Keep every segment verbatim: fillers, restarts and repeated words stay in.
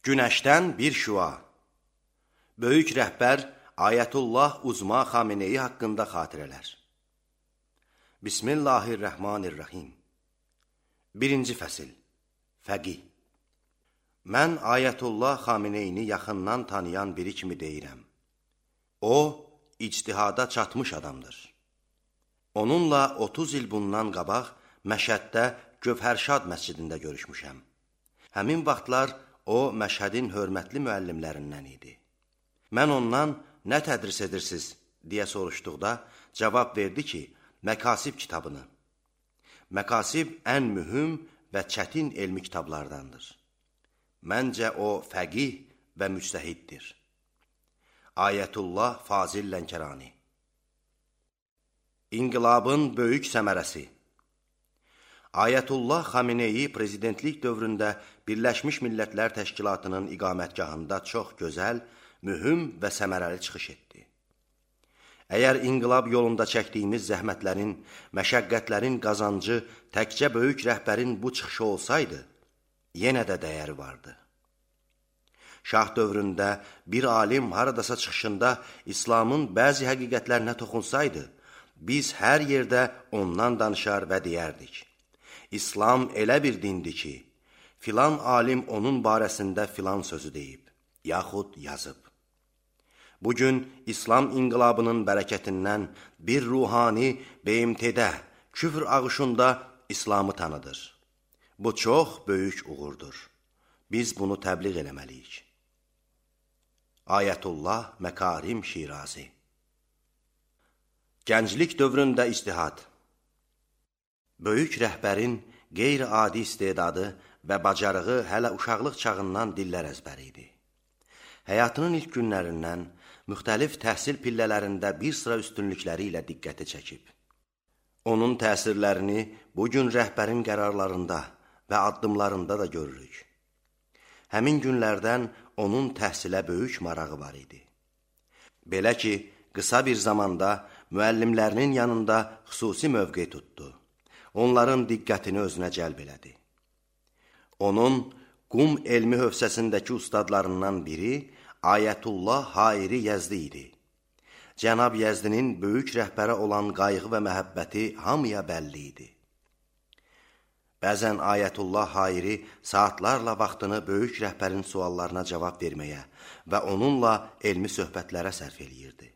Günəşdən bir şüa. Böyük rəhbər Ayətullah Uzma Xameneyi haqqında xatirələr. Bismillahirrahmanirrahim. Birinci fəsil. Fəqih. Mən Ayətullah Xameneyini yaxından tanıyan biri kimi deyirəm. O, ictihada çatmış adamdır. Onunla otuz il bundan qabaq Məşəddə Gövhərşad məscidində görüşmüşəm. Həmin vaxtlar o, Məşhədin hörmətli müəllimlərindən idi. Mən ondan, nə tədris edirsiniz, deyə soruşduqda, cavab verdi ki, Məkasib kitabını. Məkasib ən mühüm və çətin elmi kitablardandır. Məncə o, fəqih və müctəhiddir. Ayətullah Fazil Lənkərani. İnqilabın böyük səmərəsi. Ayətullah Xameneyi prezidentlik dövründə Birləşmiş Millətlər Təşkilatının iqamətgahında çox gözəl, mühüm və səmərəli çıxış etdi. Əgər inqilab yolunda çəkdiyimiz zəhmətlərin, məşəqqətlərin qazancı təkcə böyük rəhbərin bu çıxışı olsaydı, yenə də dəyəri vardı. Şah dövründə bir alim haradasa çıxışında İslamın bəzi həqiqətlərinə toxunsaydı, biz hər yerdə ondan danışar və deyərdik. İslam elə bir dindir ki, filan alim onun barəsində filan sözü deyib, yaxud yazıb. Bugün İslam inqilabının bərəkətindən bir ruhani B M T-də, küfr ağışında İslamı tanıdır. Bu çox böyük uğurdur. Biz bunu təbliğ eləməliyik. Ayətullah Məkarim Şirazi. Gənclik dövründə ictihad. Böyük rəhbərin qeyri-adi istedadı və bacarığı hələ uşaqlıq çağından dillər əzbəri idi. Həyatının ilk günlərindən müxtəlif təhsil pillələrində bir sıra üstünlükləri ilə diqqəti çəkib. Onun təsirlərini bugün rəhbərin qərarlarında və addımlarında da görürük. Həmin günlərdən onun təhsilə böyük marağı var idi. Belə ki, qısa bir zamanda müəllimlərinin yanında xüsusi mövqe tutdu. Onların diqqətini özünə cəlb elədi. Onun Qum elmi hövsəsindəki ustadlarından biri Ayətullah Hayri Yəzdi idi. Cənab Yəzdinin böyük rəhbərə olan qayğı və məhəbbəti hamıya bəlli idi. Bəzən Ayətullah Hayri saatlarla vaxtını böyük rəhbərin suallarına cavab verməyə və onunla elmi söhbətlərə sərf eləyirdi.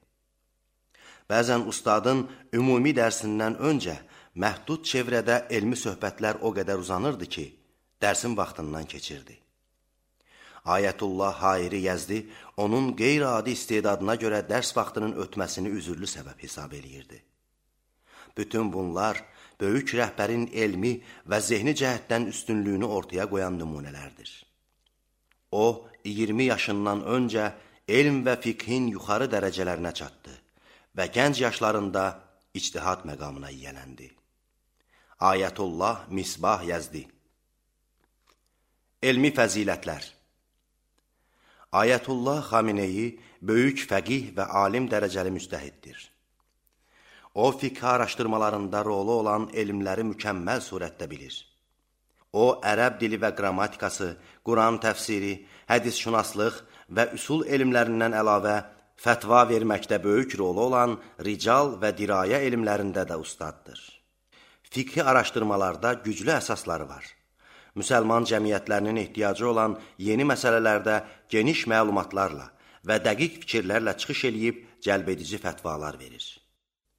Bəzən ustadın ümumi dərsindən öncə məhdud çevrədə elmi söhbətlər o qədər uzanırdı ki, dərsin vaxtından keçirdi. Ayətullah Hayri Yəzdi onun qeyri-adi istedadına görə dərs vaxtının ötməsini üzürlü səbəb hesab eləyirdi. Bütün bunlar böyük rəhbərin elmi və zehni cəhətdən üstünlüyünü ortaya qoyan nümunələrdir. O, iyirmi yaşından öncə elm və fiqhin yuxarı dərəcələrinə çatdı və gənc yaşlarında ictihad məqamına yiyələndi. Ayətullah Misbah Yəzdi. Elmi fəzilətlər. Ayətullah Xameneyi böyük fəqih və alim dərəcəli müctəhiddir. O, fiqh araşdırmalarında rolu olan elmləri mükəmməl surətdə bilir. O, ərəb dili və qrammatikası, Quran təfsiri, hədis-şünaslıq və üsul elmlərindən əlavə fətva verməkdə böyük rolu olan rical və dirayə elmlərində də ustaddır. Fiqhi araşdırmalarda güclü əsasları var. Müsəlman cəmiyyətlərinin ehtiyacı olan yeni məsələlərdə geniş məlumatlarla və dəqiq fikirlərlə çıxış eləyib cəlbedici fətvalar verir.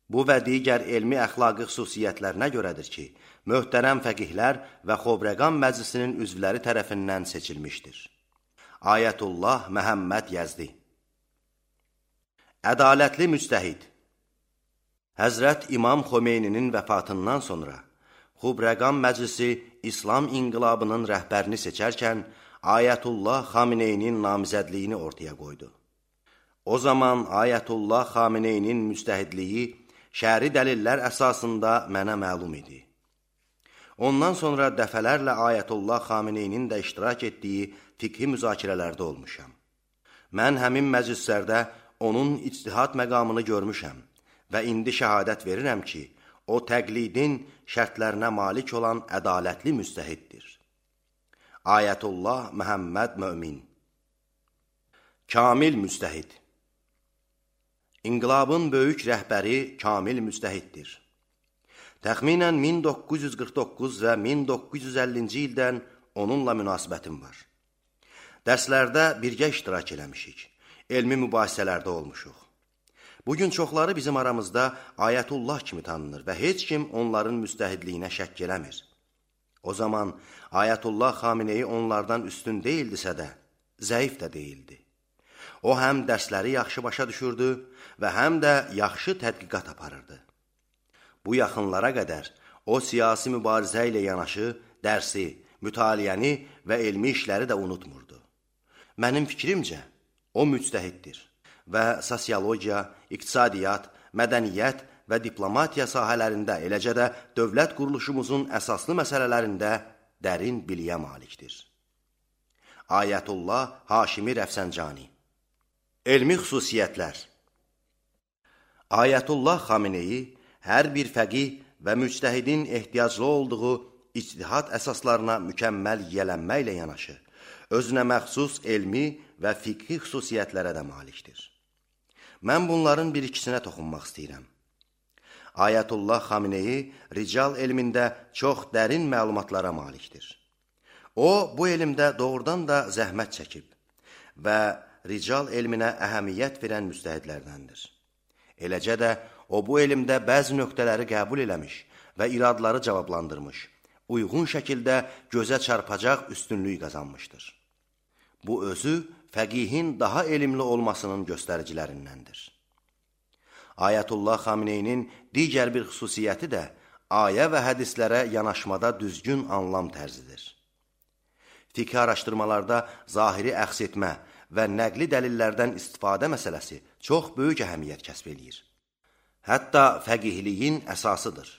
Bu və digər elmi əxlaqi xüsusiyyətlərinə görədir ki, möhtərəm fəqihlər və Xobreqan Məclisinin üzvləri tərəfindən seçilmişdir. Ayətullah Məhəmməd Yəzdi. Ədalətli müctəhid. Həzrət İmam Xomeyninin vəfatından sonra Xobreqan Məclisi İslam inqilabının rəhbərini seçərkən Ayətullah Xameneyinin namizədliyini ortaya qoydu. O zaman Ayətullah Xameneyinin müctəhidliyi şəri dəlillər əsasında mənə məlum idi. Ondan sonra dəfələrlə Ayətullah Xameneyinin də iştirak etdiyi fiqhi müzakirələrdə olmuşam. Mən həmin məclislərdə onun ictihad məqamını görmüşəm və indi şəhadət verirəm ki, o təqlidin şərtlərinə malik olan ədalətli müctəhiddir. Ayətullah Məhəmməd Mömin. Kamil müctəhid. İnqilabın böyük rəhbəri Kamil müctəhiddir. Təxminən min doqquz yüz qırx doqquz və min doqquz yüz əllinci ildən onunla münasibətim var. Dərslərdə birgə iştirak eləmişik, elmi mübahisələrdə olmuşuq. Bugün çoxları bizim aramızda Ayətullah kimi tanınır və heç kim onların müctəhidliyinə şəkk eləmir. O zaman Ayətullah Xameneyi onlardan üstün deyildisə də, zəif də deyildi. O həm dərsləri yaxşı başa düşürdü və həm də yaxşı tədqiqat aparırdı. Bu yaxınlara qədər o siyasi mübarizə ilə yanaşı dərsi, mütaliəni və elmi işləri də unutmurdu. Mənim fikrimcə, o müctəhiddir və sosiologiya, iqtisadiyyat, mədəniyyət və diplomatiya sahələrində, eləcə də dövlət quruluşumuzun əsaslı məsələlərində dərin biliyə malikdir. Ayətullah Haşimi Rəfsəncani. Elmi xüsusiyyətlər. Ayətullah Xameneyi hər bir fəqih və müctəhidin ehtiyaclı olduğu ictihad əsaslarına mükəmməl yiyələnməklə yanaşı, özünə məxsus elmi və fiqhi xüsusiyyətlərə də malikdir. Mən bunların bir ikisinə toxunmaq istəyirəm. Ayətullah Xameneyi rical elmində çox dərin məlumatlara malikdir. O, bu elmdə doğrudan da zəhmət çəkib və rical elminə əhəmiyyət verən müctəhidlərdəndir. Eləcə də o, bu elmdə bəzi nöqtələri qəbul eləmiş və iradları cavablandırmış, uyğun şəkildə gözə çarpacaq üstünlük qazanmışdır. Bu özü fəqihin daha elmli olmasının göstəricilərindəndir. Ayətullah Xameneyinin digər bir xüsusiyyəti də ayə və hədislərə yanaşmada düzgün anlam tərzidir. Fiqh araşdırmalarda zahiri əks etmə və nəqli dəlillərdən istifadə məsələsi çox böyük əhəmiyyət kəsb edir. Hətta fəqihliyin əsasıdır.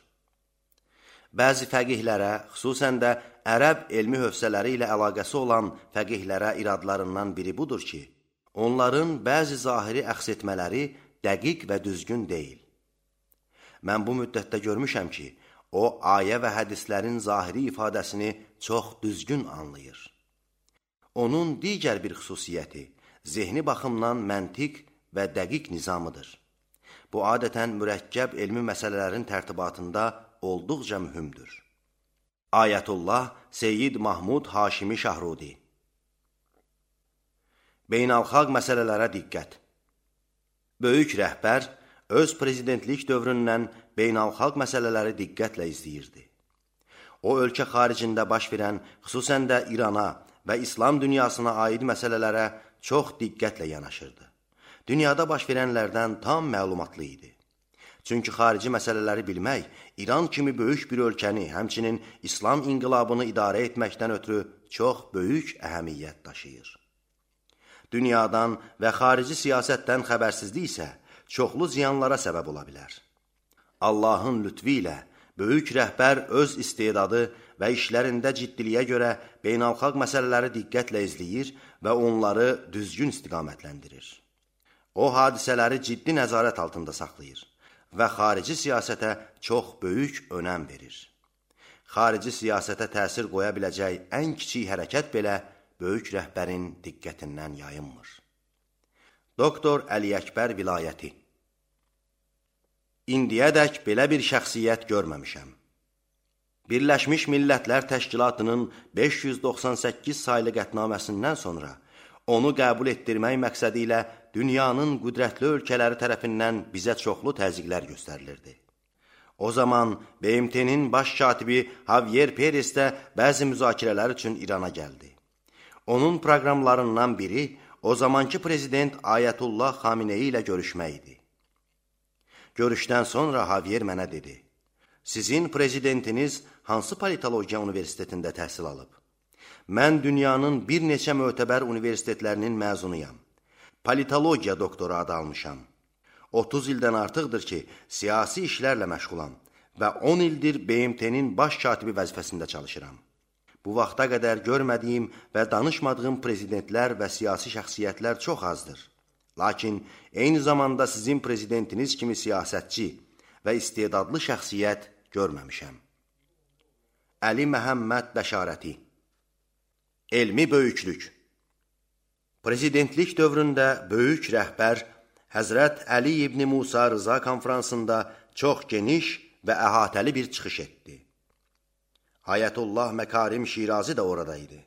Bəzi fəqihlərə, xüsusən də ərəb elmi hövsələri ilə əlaqəsi olan fəqihlərə iradlarından biri budur ki, onların bəzi zahiri əks etmələri dəqiq və düzgün deyil. Mən bu müddətdə görmüşəm ki, o, ayə və hədislərin zahiri ifadəsini çox düzgün anlayır. Onun digər bir xüsusiyyəti, zehni baxımdan məntiq və dəqiq nizamıdır. Bu, adətən mürəkkəb elmi məsələlərin tərtibatında olduqca mühümdür. Ayətullah Seyyid Mahmud Haşimi Şahrudi. Beynəlxalq məsələlərə diqqət. Böyük rəhbər öz prezidentlik dövründən beynəlxalq məsələləri diqqətlə izləyirdi. O, ölkə xaricində baş verən, xüsusən də İrana və İslam dünyasına aid məsələlərə çox diqqətlə yanaşırdı. Dünyada baş verənlərdən tam məlumatlı idi. Çünki xarici məsələləri bilmək, İran kimi böyük bir ölkəni, həmçinin İslam inqilabını idarə etməkdən ötürü çox böyük əhəmiyyət daşıyır. Dünyadan və xarici siyasətdən xəbərsizlik isə çoxlu ziyanlara səbəb ola bilər. Allahın lütfi ilə böyük rəhbər öz istedadı və işlərində ciddiliyə görə beynəlxalq məsələləri diqqətlə izləyir və onları düzgün istiqamətləndirir. O, hadisələri ciddi nəzarət altında saxlayır və xarici siyasətə çox böyük önəm verir. Xarici siyasətə təsir qoya biləcək ən kiçik hərəkət belə böyük rəhbərin diqqətindən yayınmır. Doktor Əli Əkbər Vilayəti. İndiyədək belə bir şəxsiyyət görməmişəm. Birləşmiş Millətlər Təşkilatının beş yüz doxsan səkkiz saylı qətnaməsindən sonra onu qəbul etdirmək məqsədi ilə dünyanın qüdrətli ölkələri tərəfindən bizə çoxlu təzyiqlər göstərilirdi. O zaman B M T-nin baş katibi Javier Perez də bəzi müzakirələr üçün İrana gəldi. Onun proqramlarından biri o zamanki prezident Ayətullah Xameneyi ilə görüşmək idi. Görüşdən sonra Javier mənə dedi, sizin prezidentiniz hansı politologiya universitetində təhsil alıb? Mən dünyanın bir neçə mötəbər universitetlərinin məzunuyam. Politologiya doktoru adı almışam. otuz ildən artıqdır ki, siyasi işlərlə məşğulam və on ildir B M T-nin baş katibi vəzifəsində çalışıram. Bu vaxta qədər görmədiyim və danışmadığım prezidentlər və siyasi şəxsiyyətlər çox azdır. Lakin eyni zamanda sizin prezidentiniz kimi siyasətçi və istedadlı şəxsiyyət görməmişəm. Əli Məhəmməd Bəşarəti. Elmi böyüklük. Prezidentlik dövründə böyük rəhbər Həzrət Əli ibn Musa Rıza konfransında çox geniş və əhatəli bir çıxış etdi. Ayətullah Məkarim Şirazi də orada idi.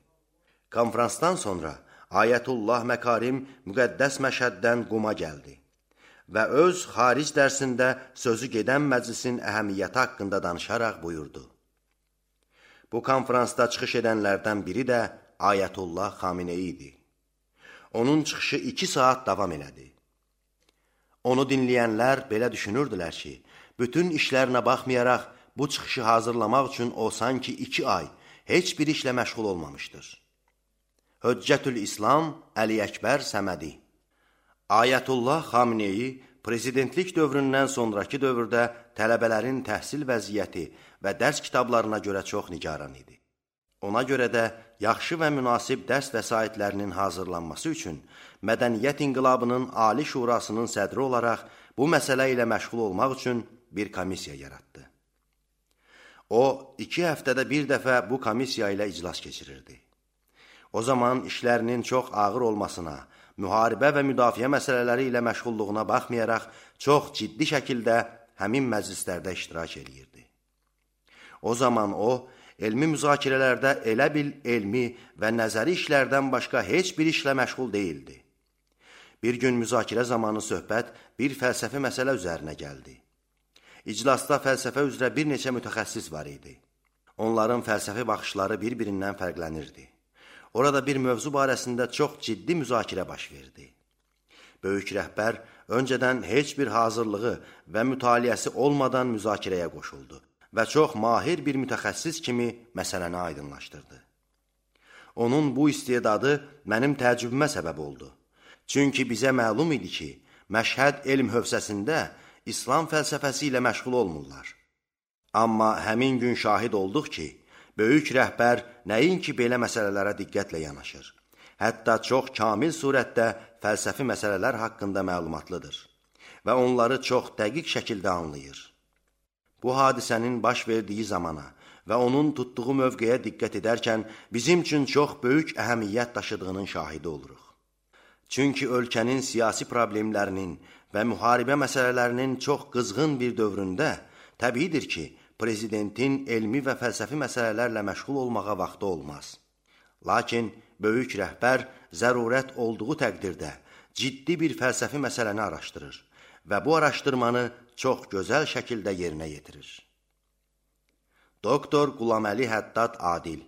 Konfransdan sonra Ayətullah Məkarim müqəddəs Məşhəddən Quma gəldi və öz xaric dərsində sözü gedən məclisin əhəmiyyəti haqqında danışaraq buyurdu. Bu konfransda çıxış edənlərdən biri də Ayətullah Xamenei idi. Onun çıxışı iki saat davam elədi. Onu dinləyənlər belə düşünürdülər ki, bütün işlərinə baxmayaraq bu çıxışı hazırlamaq üçün o sanki iki ay heç bir işlə məşğul olmamışdır. Höccətül İslam Əli Əkbər Səmədi. Ayətullah Xamenei prezidentlik dövründən sonraki dövrdə tələbələrin təhsil vəziyyəti və dərs kitablarına görə çox nigaran idi. Ona görə də yaxşı və münasib dərs vəsaitlərinin hazırlanması üçün Mədəniyyət İnqilabının Ali Şurasının sədri olaraq bu məsələ ilə məşğul olmaq üçün bir komissiya yaratdı. O, iki həftədə bir dəfə bu komissiya ilə iclas keçirirdi. O zaman işlərinin çox ağır olmasına, müharibə və müdafiə məsələləri ilə məşğulluğuna baxmayaraq çox ciddi şəkildə həmin məclislərdə iştirak edirdi. O zaman o, elmi müzakirələrdə elə bil elmi və nəzəri işlərdən başqa heç bir işlə məşğul deyildi. Bir gün müzakirə zamanı söhbət bir fəlsəfi məsələ üzərinə gəldi. İclasda fəlsəfə üzrə bir neçə mütəxəssis var idi. Onların fəlsəfi baxışları bir-birindən fərqlənirdi. Orada bir mövzu barəsində çox ciddi müzakirə baş verdi. Böyük rəhbər öncədən heç bir hazırlığı və mütaliəsi olmadan müzakirəyə qoşuldu və çox mahir bir mütəxəssis kimi məsələni aydınlaşdırdı. Onun bu istedadı mənim təəccübümə səbəb oldu. Çünki bizə məlum idi ki, Məşhəd elm hövzəsində İslam fəlsəfəsi ilə məşğul olmurlar. Amma həmin gün şahid olduq ki, böyük rəhbər nəinki belə məsələlərə diqqətlə yanaşır, hətta çox kamil surətdə fəlsəfi məsələlər haqqında məlumatlıdır və onları çox dəqiq şəkildə anlayır. Bu hadisənin baş verdiyi zamana və onun tutduğu mövqeyə diqqət edərkən bizim üçün çox böyük əhəmiyyət daşıdığının şahidi oluruq. Çünki ölkənin siyasi problemlərinin və müharibə məsələlərinin çox qızğın bir dövründə təbiidir ki, prezidentin elmi və fəlsəfi məsələlərlə məşğul olmağa vaxtı olmaz. Lakin böyük rəhbər zərurət olduğu təqdirdə ciddi bir fəlsəfi məsələni araşdırır və bu araşdırmanı çox gözəl şəkildə yerinə yetirir. Doktor Qulaməli Həddad Adil.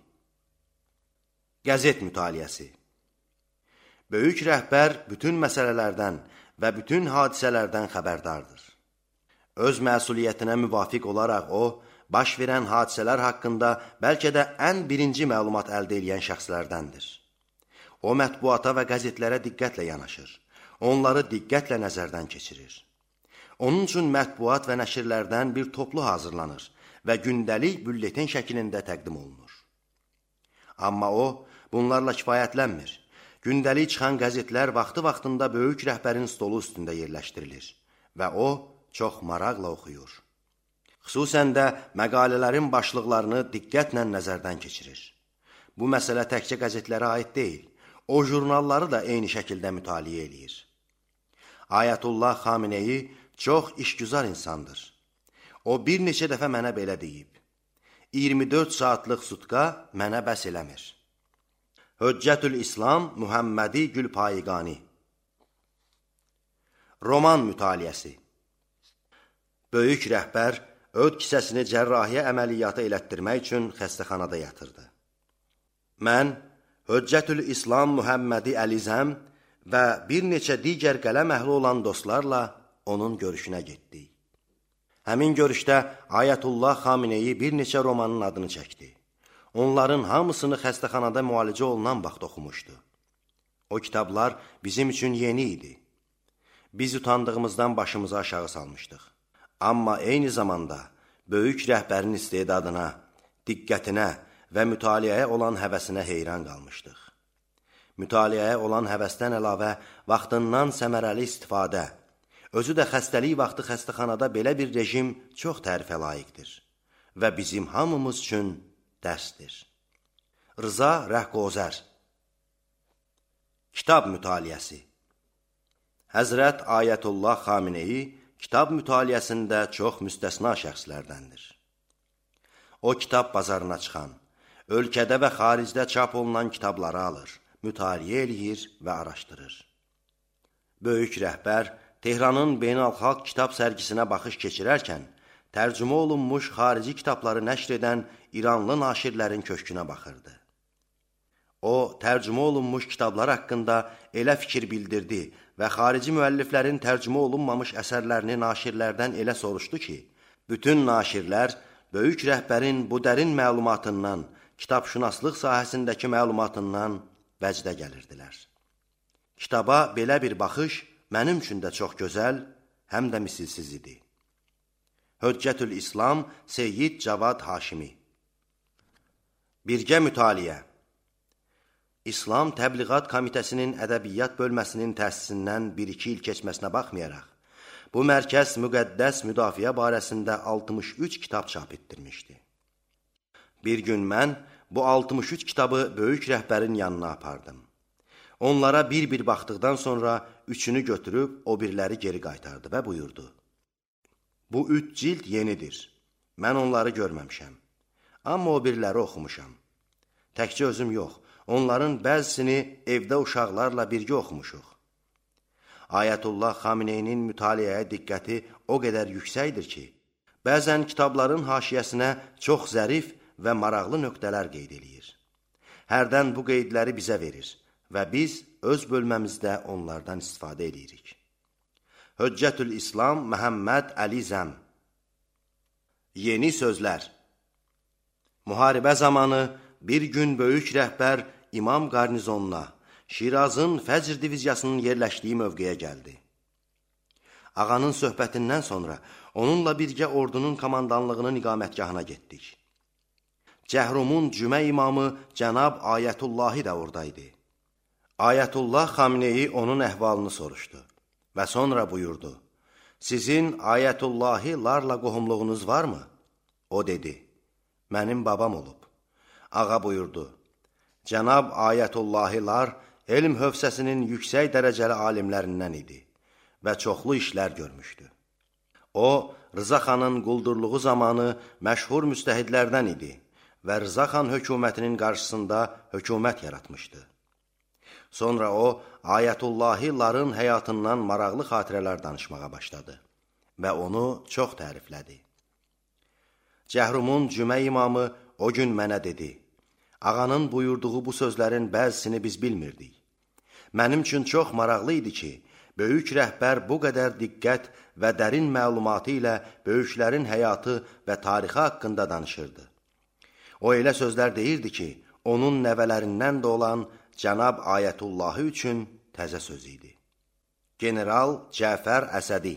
Qəzet mütaliəsi. Böyük rəhbər bütün məsələlərdən və bütün hadisələrdən xəbərdardır. Öz məsuliyyətinə müvafiq olaraq o, baş verən hadisələr haqqında bəlkə də ən birinci məlumat əldə edən şəxslərdəndir. O, mətbuata və qəzetlərə diqqətlə yanaşır, onları diqqətlə nəzərdən keçirir. Onun üçün mətbuat və nəşirlərdən bir toplu hazırlanır və gündəlik bülletin şəklində təqdim olunur. Amma o, bunlarla kifayətlənmir. Gündəlik çıxan qəzetlər vaxtı-vaxtında böyük rəhbərin stolu üstündə yerləşdirilir və o, çox maraqla oxuyur. Xüsusən də məqalələrin başlıqlarını diqqətlə nəzərdən keçirir. Bu məsələ təkcə qəzetlərə aid deyil, o jurnalları da eyni şəkildə mütaliə edir. Ayətullah Xamenei çox işgüzar insandır. O bir neçə dəfə mənə belə deyib. iyirmi dörd saatlıq sutka mənə bəs eləmir. Höccətül İslam Muhammədi Gülpayiqani. Roman mütaliəsi. Böyük rəhbər öd kisəsini cərrahiyyə əməliyyatı elətdirmək üçün xəstəxanada yatırdı. Mən Höccətül İslam Muhammədi Əlizəm və bir neçə digər qələm əhli olan dostlarla onun görüşünə getdik. Həmin görüşdə Ayətullah Xamenei bir neçə romanın adını çəkdi. Onların hamısını xəstəxanada müalicə olunan vaxt oxumuşdu. O kitablar bizim üçün yeni idi. Biz utandığımızdan başımızı aşağı salmışdıq. Amma eyni zamanda böyük rəhbərin istedadına, diqqətinə və mütaliəyə olan həvəsinə heyran qalmışdıq. Mütaliəyə olan həvəsdən əlavə vaxtından səmərəli istifadə, özü də xəstəlik vaxtı xəstəxanada belə bir rejim çox tərifə layiqdir və bizim hamımız üçün dərsdir. Rıza Rəhqozər. Kitab mütaliəsi. Həzrət Ayətullah Xameneyi kitab mütaliəsində çox müstəsna şəxslərdəndir. O, kitab bazarına çıxan, ölkədə və xaricdə çap olunan kitabları alır, mütaliə eləyir və araşdırır. Böyük rəhbər Tehranın beynəlxalq kitab sərgisinə baxış keçirərkən, tərcümə olunmuş xarici kitabları nəşr edən İranlı naşirlərin köşkünə baxırdı. O, tərcümə olunmuş kitablar haqqında elə fikir bildirdi və xarici müəlliflərin tərcümə olunmamış əsərlərini naşirlərdən elə soruşdu ki, bütün naşirlər böyük rəhbərin bu dərin məlumatından, kitabşünaslıq sahəsindəki məlumatından vəcdə gəlirdilər. Kitaba belə bir baxış mənim üçün də çox gözəl, həm də misilsiz idi. Höccətül İslam Seyyid Cavad Haşimi. Birgə mütaliə. İslam Təbliğat Komitəsinin Ədəbiyyat bölməsinin təsisindən bir-iki il keçməsinə baxmayaraq, bu mərkəz müqəddəs müdafiə barəsində altmış üç kitab çap etdirmişdi. Bir gün mən bu altmış üç kitabı böyük rəhbərin yanına apardım. Onlara bir-bir baxdıqdan sonra üçünü götürüb o birləri geri qaytardı və buyurdu. Bu üç cild yenidir. Mən onları görməmişəm. Amma o birləri oxumuşam. Təkcə özüm yox, onların bəzisini evdə uşaqlarla birgə oxumuşuq. Ayətullah Xameneyinin mütaliəyə diqqəti o qədər yüksəkdir ki, bəzən kitabların haşiyəsinə çox zərif və maraqlı nöqtələr qeyd edir. Hərdən bu qeydləri bizə verir və biz öz bölməmizdə onlardan istifadə edirik. Höccətül İslam Məhəmməd Əli Zəm. Yeni sözlər. Müharibə zamanı bir gün böyük rəhbər İmam qarnizonuna, Şirazın Fəcr diviziyasının yerləşdiyi mövqeyə gəldi. Ağanın söhbətindən sonra onunla birgə ordunun komandanlığının iqamətgahına getdik. Cəhrumun cümə imamı Cənab Ayətullahi də oradaydı. Ayətullah Xameneyi onun əhvalını soruşdu və sonra buyurdu. Sizin Ayətullahi larla qohumluğunuz varmı? O dedi, mənim babam olub. Ağa buyurdu, Cənab Ayətullahilar elm hövsəsinin yüksək dərəcəli alimlərindən idi və çoxlu işlər görmüşdü. O, Rıza xanın quldurluğu zamanı məşhur müstəhidlərdən idi və Rıza xan hökumətinin qarşısında hökumət yaratmışdı. Sonra o, Ayətullahiların həyatından maraqlı xatirələr danışmağa başladı və onu çox təriflədi. Cəhrumun cümə imamı o gün mənə dedi, ağanın buyurduğu bu sözlərin bəzisini biz bilmirdik. Mənim üçün çox maraqlı idi ki, böyük rəhbər bu qədər diqqət və dərin məlumatı ilə böyüklərin həyatı və tarixi haqqında danışırdı. O elə sözlər deyirdi ki, onun nəvələrindən də olan Cənab Ayətullahı üçün təzə söz idi. General Cəfər Əsədi.